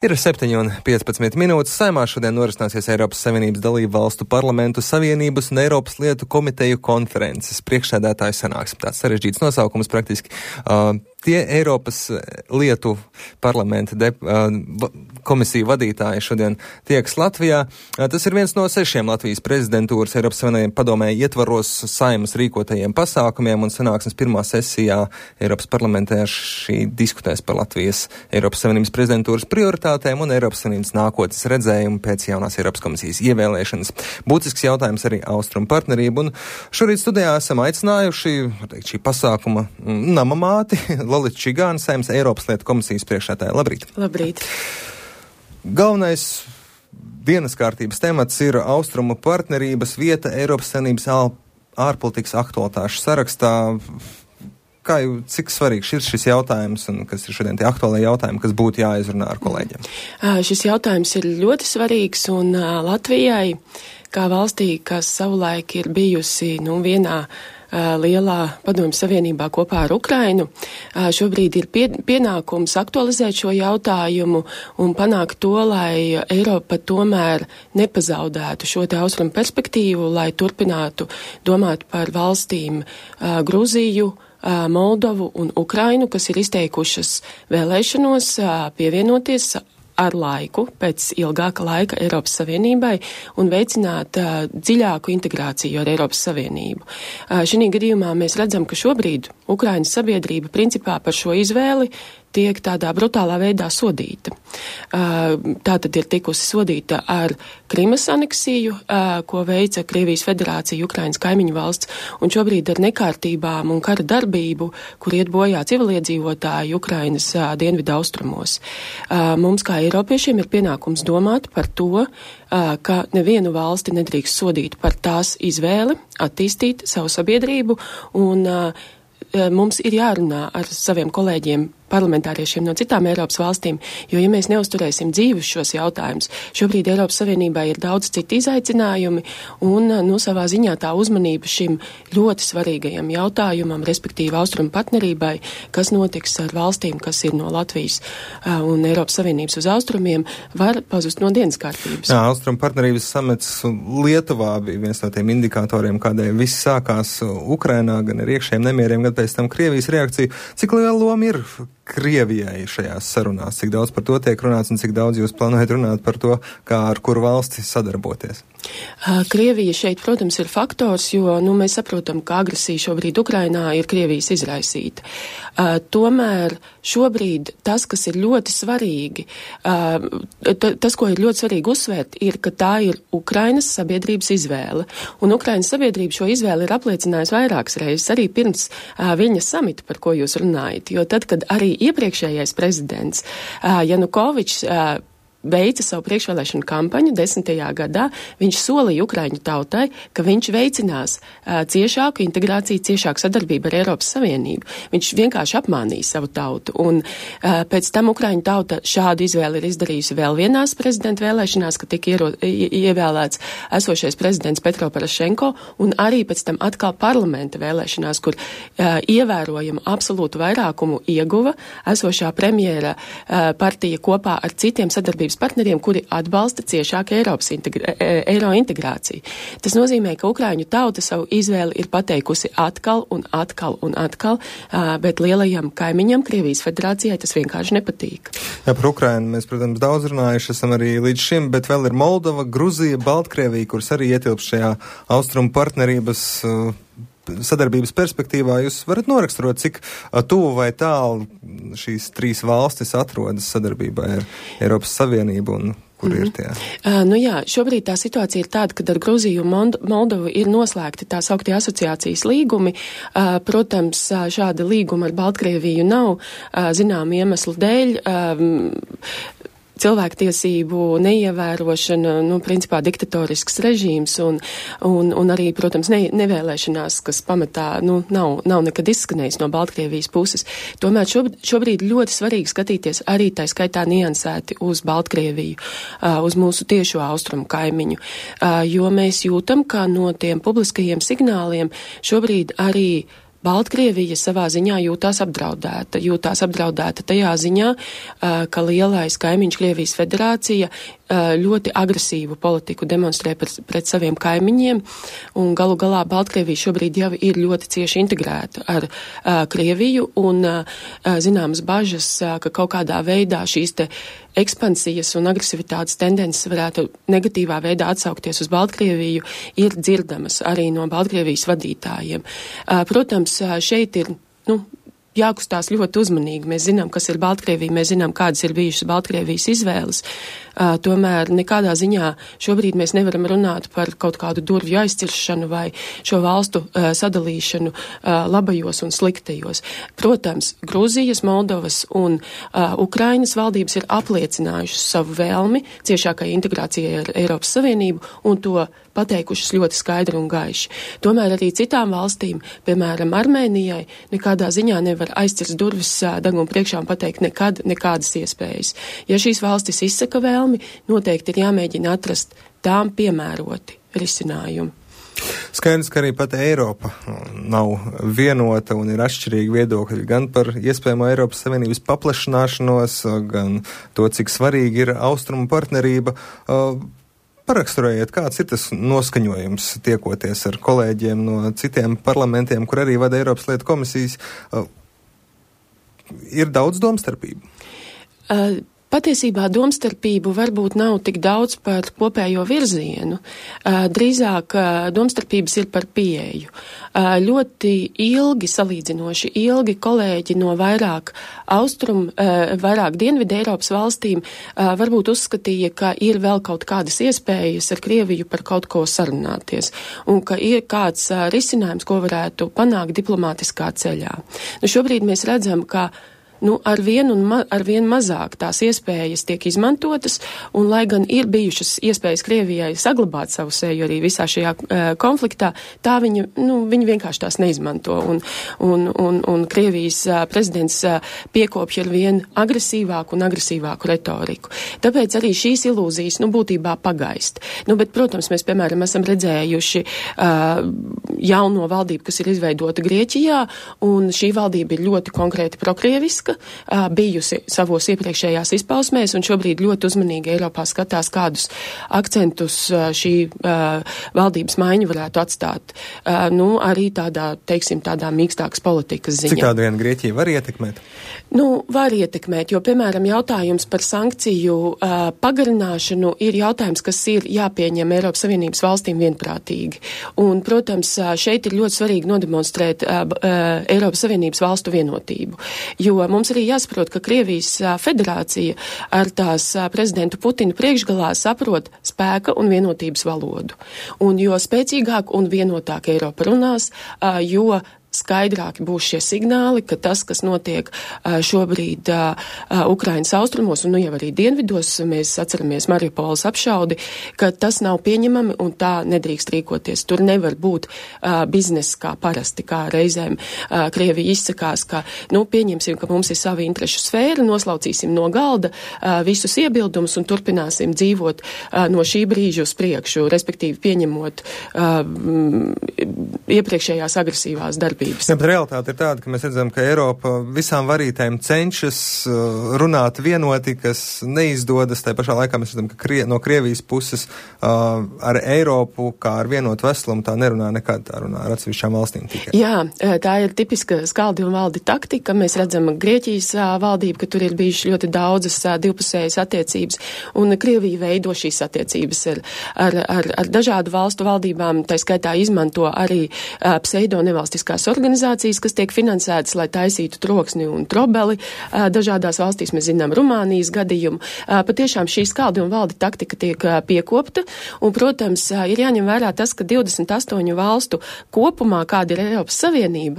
Ir 7:15 minūtes. Saeimā šodien norisināsies Eiropas Savienības dalību valstu parlamentu savienības un Eiropas lietu komiteju konferences priekšsēdētāju sanāksme. Tāds sarežģīts nosaukums praktiski. Tie Eiropas lietu parlamenta komisiju vadītāji šodien tieks Latvijā. Tas ir viens no 6 Latvijas prezidentūras Eiropas Savienības padomē ietvaros Saeimas rīkotajiem pasākumiem, un sanāksmes pirmā sesijā Eiropas parlamentā šī diskutēs par Latvijas Eiropas Savienības prezidentūras prioritātēm un Eiropas Savienības nākotnes redzējumu pēc jaunās Eiropas komisijas ievēlēšanas. Būtisks jautājums arī austrumu partnerību, un šorīt studijā esam aicinājuši, šī pasākuma namamāti, Lolita Čigāna, Saeimas Eiropas lietu komisijas priekšsēdētāja. Labrīt! Labrīt! Galvenais dienas kārtības temats ir austrumu partnerības vieta Eiropas Savienības ārpolitikas aktualitāšu sarakstā. Cik svarīgs ir šis jautājums un kas ir šodien tie aktuālie jautājumi, kas būtu jāizrunā ar kolēģiem? Šis jautājums ir ļoti svarīgs, un Latvijai, kā valstī, kas savulaik ir bijusi vienā lielā padomju savienībā kopā ar Ukrainu, šobrīd ir pienākums aktualizēt šo jautājumu un panākt to, lai Eiropa tomēr nepazaudētu šo te austrumu perspektīvu, lai turpinātu domāt par valstīm Gruziju, Moldovu un Ukrainu, kas ir izteikušas vēlēšanos pievienoties ar laiku, pēc ilgāka laika Eiropas Savienībai un veicināt dziļāku integrāciju ar Eiropas Savienību. Šī gadījumā mēs redzam, ka šobrīd Ukrainas sabiedrība principā par šo izvēli tiek tādā brutālā veidā sodīta. Tā tad ir tikusi sodīta ar Krimas aneksiju, ko veica Krievijas federācija, Ukrainas kaimiņu valsts, un šobrīd ar nekārtībām un kara darbību, kur iet bojā civiliedzīvotāji Ukrainas dienvidu austrumos. Mums kā Eiropiešiem ir pienākums domāt par to, ka nevienu valsti nedrīkst sodīt par tās izvēli, attīstīt savu sabiedrību, un mums ir jārunā ar saviem kolēģiem, parlamentāriešiem no citām Eiropas valstīm, jo, ja mēs neuzturēsim dzīvus šos jautājumus, šobrīd Eiropas Savienībā ir daudz citu izaicinājumi, un savā ziņā tā uzmanība šim ļoti svarīgajam jautājumam, respektīvi austrumu partnerībai, kas notiks ar valstīm, kas ir no Latvijas un Eiropas Savienības uz austrumiem, var pazust no dienas kārtības. Jā, austrumu partnerības samets Lietuvā bija viens no tiem indikatoriem, kādēļ viss sākās Ukrainā, gan ar iekšējiem nemieriem, gan pēc tam Krievijas reakciju. Cik liela loma ir Krievijai šajās sarunās? Cik daudz par to tiek runāts un cik daudz jūs plānojat runāt par to, kā ar kuru valsti sadarboties? Krievija šeit, protams, ir faktors, jo mēs saprotam, ka agresija šobrīd Ukrainā ir Krievijas izraisīta. Tomēr šobrīd tas, kas ir ļoti svarīgi, tas, ko ir ļoti svarīgi uzsvērt, ir, ka tā ir Ukrainas sabiedrības izvēle. Un Ukrainas sabiedrība šo izvēli ir apliecinājusi vairākas reizes, arī pirms Viļņas samita, par ko jūs runājat. Jo tad, kad arī iepriekšējais prezidents Janukovičs veica savu priekšvēlēšanu kampaņu 10. gadā, viņš solīja Ukraiņu tautai, ka viņš veicinās ciešāku integrāciju, ciešāku sadarbību ar Eiropas Savienību. Viņš vienkārši apmānīja savu tautu, un pēc tam Ukraiņu tauta šādu izvēli ir izdarījusi vēl vienās prezidenta vēlēšanās, ka tika ievēlēts esošais prezidents Petro Porošenko, un arī pēc tam atkal parlamenta vēlēšanās, kur ievērojamu absolūtu vairākumu ieguva esošā premjera partija kopā ar citiem sadarbības partneriem, kuri atbalsta ciešāku eiro integrāciju. Tas nozīmē, ka Ukraiņu tauta savu izvēli ir pateikusi atkal un atkal un atkal, bet lielajam kaimiņam, Krievijas federācijai, tas vienkārši nepatīk. Jā, par Ukrainu mēs, protams, daudz runājuši esam arī līdz šim, bet vēl ir Moldova, Gruzija, Baltkrievija, kuras arī ietilpst šajā austrumu partnerības sadarbības perspektīvā. Jūs varat noraksturot, cik tuvu vai tālu šīs 3 valstis atrodas sadarbībā ar Eiropas Savienību un kur ir tie? Šobrīd tā situācija ir tāda, ka ar Gruziju un Moldovu ir noslēgti tā sauktie asociācijas līgumi. Protams, šāda līguma ar Baltkrieviju nav zināmu iemeslu dēļ. Cilvēktiesību neievērošana, principā diktatorisks režīms un arī, protams, nevēlēšanās, kas pamatā, nav nekad izskanējis no Baltkrievijas puses. Tomēr šobrīd ļoti svarīgi skatīties arī tā skaitā niansēti uz Baltkrieviju, uz mūsu tiešo austrumu kaimiņu, jo mēs jūtam, ka no tiem publiskajiem signāliem šobrīd arī Baltkrievija savā ziņā jūtās apdraudēta tajā ziņā, ka lielais kaimiņš Krievijas federācija ļoti agresīvu politiku demonstrē pret saviem kaimiņiem, un galu galā Baltkrievija šobrīd jau ir ļoti cieši integrēta ar Krieviju, un zināmas bažas, ka kaut kādā veidā šīs te ekspansijas un agresivitātes tendences varētu negatīvā veidā atsaukties uz Baltkrieviju, ir dzirdamas arī no Baltkrievijas vadītājiem. Protams, šeit ir, jākustās ļoti uzmanīgi. Mēs zinām, kas ir Baltkrievija, mēs zinām, kādas ir bijušas Baltkrievijas izvēles. Tomēr nekādā ziņā šobrīd mēs nevaram runāt par kaut kādu durvju aizciršanu vai šo valstu sadalīšanu labajos un sliktajos. Protams, Grūzijas, Moldovas un Ukrainas valdības ir apliecinājušas savu vēlmi ciešākai integrācijai ar Eiropas Savienību un to pateikušas ļoti skaidri un gaiši. Tomēr arī citām valstīm, piemēram, Armēnijai, nekādā ziņā nevar aizcirst durvis deguna priekšā un pateikt nekādas iespējas. Ja šīs valstis izsaka vēlmi, noteikti ir jāmēģina atrast tām piemēroti risinājumi. Skaidrs, ka arī pat Eiropa nav vienota un ir atšķirīgi viedokļi gan par iespējamo Eiropas Savienības paplašināšanos, gan to, cik svarīgi ir austrumu partnerība. Paraksturējiet, kāds ir tas noskaņojums tiekoties ar kolēģiem no citiem parlamentiem, kur arī vada Eiropas lietu komisijas. Ir daudz domstarpību? Patiesībā domstarpību varbūt nav tik daudz par kopējo virzienu. Drīzāk domstarpības ir par pieeju. Ļoti salīdzinoši ilgi kolēģi no vairāk dienvidu Eiropas valstīm varbūt uzskatīja, ka ir vēl kaut kādas iespējas ar Krieviju par kaut ko sarunāties un ka ir kāds risinājums, ko varētu panākt diplomātiskā ceļā. Šobrīd mēs redzam, ka ar vien mazāk tās iespējas tiek izmantotas, un lai gan ir bijušas iespējas Krievijai saglabāt savu seju arī visā šajā konfliktā, tā viņi vienkārši tās neizmanto, un Krievijas prezidents piekopja ar vien agresīvāku retoriku. Tāpēc arī šīs ilūzijas, būtībā pagaist. Bet, protams, mēs, piemēram, esam redzējuši jauno valdību, kas ir izveidota Grieķijā, un šī valdība ir ļoti konkrēti prokrieviska, bijusi savos iepriekšējās izpausmēs, un šobrīd ļoti uzmanīgi Eiropā skatās, kādus akcentus šī valdības maiņa varētu atstāt. Arī tādā mīkstākas politikas ziņā. Cik tādu vienu Grieķiju var ietekmēt? Var ietekmēt, jo, piemēram, jautājums par sankciju pagarināšanu ir jautājums, kas ir jāpieņem Eiropas Savienības valstīm vienprātīgi. Un, protams, šeit ir ļoti svarīgi nodemonstrēt Eiropas Savienības valstu vienotību, jo mums arī jāsaprot, ka Krievijas federācija ar tās prezidentu Putinu priekšgalā saprot spēka un vienotības valodu. Un jo spēcīgāk un vienotāk Eiropa runās, jo skaidrāki būs šie signāli, ka tas, kas notiek šobrīd Ukrainas austrumos un jau arī dienvidos, mēs atceramies Mariupoles apšaudi, ka tas nav pieņemami un tā nedrīkst rīkoties. Tur nevar būt bizness kā parasti, kā reizēm Krievija izsakās, ka, pieņemsim, ka mums ir savi interešu sfēra, noslaucīsim no galda visus iebildumus un turpināsim dzīvot no šī brīža uz priekšu, respektīvi pieņemot iepriekšējās agresīvās darbības. Bet realitāte ir tāda, ka mēs redzam, ka Eiropa visām varītēm cenšas runāt vienoti, kas neizdodas. Tā pašā laikā mēs redzam, ka no Krievijas puses ar Eiropu kā ar vienotu veslumu tā nerunā nekad, tā runā ar atsevišķām valstīm tikai. Jā, tā ir tipiska skaldi un valdi taktika. Mēs redzam Grieķijas valdību, ka tur ir bijušas ļoti daudzas divpusējas attiecības, un Krievija veido šīs attiecības ar dažādu valstu valdībām, tā skaitā izmanto arī pseido nevalstiskās organizācijas, kas tiek finansētas, lai taisītu troksni un trobeli. Dažādās valstīs mēs zinām Rumānijas gadījumu. Patiešām šī skaldi un valdi taktika tiek piekopta, un, protams, ir jāņem vērā tas, ka 28 valstu kopumā, kāda ir Eiropas Savienība,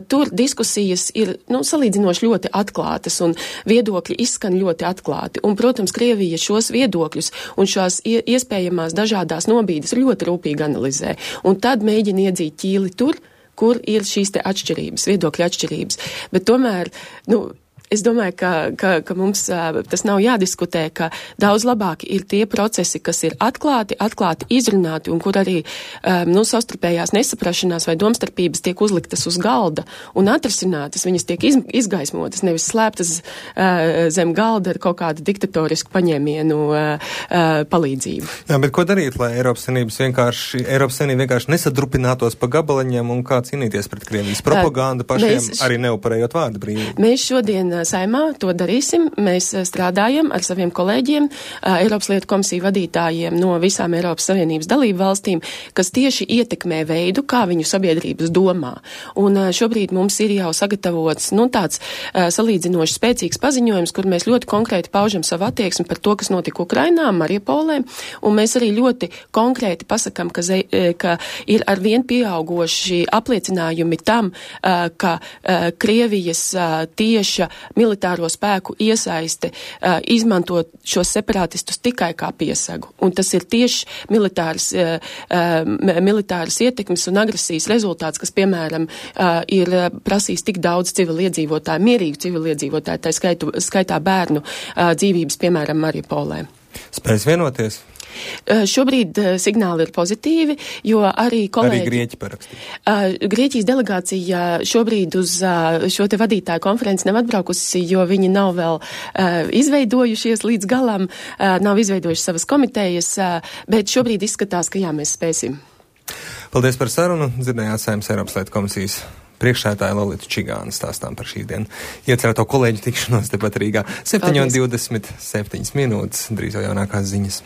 tur diskusijas ir, salīdzinoši ļoti atklātas, un viedokļi izskan ļoti atklāti. Un, protams, Krievija šos viedokļus un šās iespējamās dažādās nobīdes ļoti rūpīgi analizē, un tad mēģina iedzīt ķīli tur, kur ir šīs te atšķirības, viedokļa atšķirības. Bet tomēr, Es domāju, ka mums tas nav jādiskutē, ka daudz labāk ir tie procesi, kas ir atklāti izrunāti un kur arī savstarpējās nesaprašanās vai domstarpības tiek uzliktas uz galda un atrasinātas, viņas tiek izgaismotas, nevis slēptas zem galda ar kaut kādu diktatorisku paņēmienu palīdzību. Jā, bet ko darīt, lai Eiropas Savienība vienkārši nesadrupinātos pa gabaliņiem un kā cīnīties pret Krievijas propagandu pašiem, arī neupurējot vārdu brīvību? Mēs šodien Saimā to darīsim. Mēs strādājam ar saviem kolēģiem, Eiropas lietu komisiju vadītājiem no visām Eiropas Savienības dalību valstīm, kas tieši ietekmē veidu, kā viņu sabiedrības domā. Un šobrīd mums ir jau sagatavots tāds salīdzinoši spēcīgs paziņojums, kur mēs ļoti konkrēti paužam savu attieksmi par to, kas notika Ukrainā, Mariupolē, un mēs arī ļoti konkrēti pasakam, ka ir arvien pieaugoši apliecinājumi tam, ka Krievijas tieša militāro spēku iesaiste izmantot šos separātistus tikai kā piesagu. Un tas ir tieši militāras ietekmes un agresijas rezultāts, kas, piemēram, ir prasījis tik daudz civiliedzīvotāju, mierīgu civiliedzīvotāju, tā skaitā bērnu dzīvības, piemēram, Mariupolē. Spēs vienoties? Šobrīd signāli ir pozitīvi, jo arī kolēģi... Arī Grieķi parakstīja. Grieķijas delegācija šobrīd uz šo te vadītāju konferenci nav atbraukusi, jo viņi nav vēl izveidojušies līdz galam, nav izveidojuši savas komitejas, bet šobrīd izskatās, ka jā, mēs spēsim. Paldies par sarunu. Dzirdējāt Saeimas Eiropas lietu komisijas priekšsēdētāja Lolitu Čigānu stāstām par šīs dienas iecerēto kolēģu tikšanos tepat Rīgā. 7:27 minūtes, drīz jau jaunākās ziņas.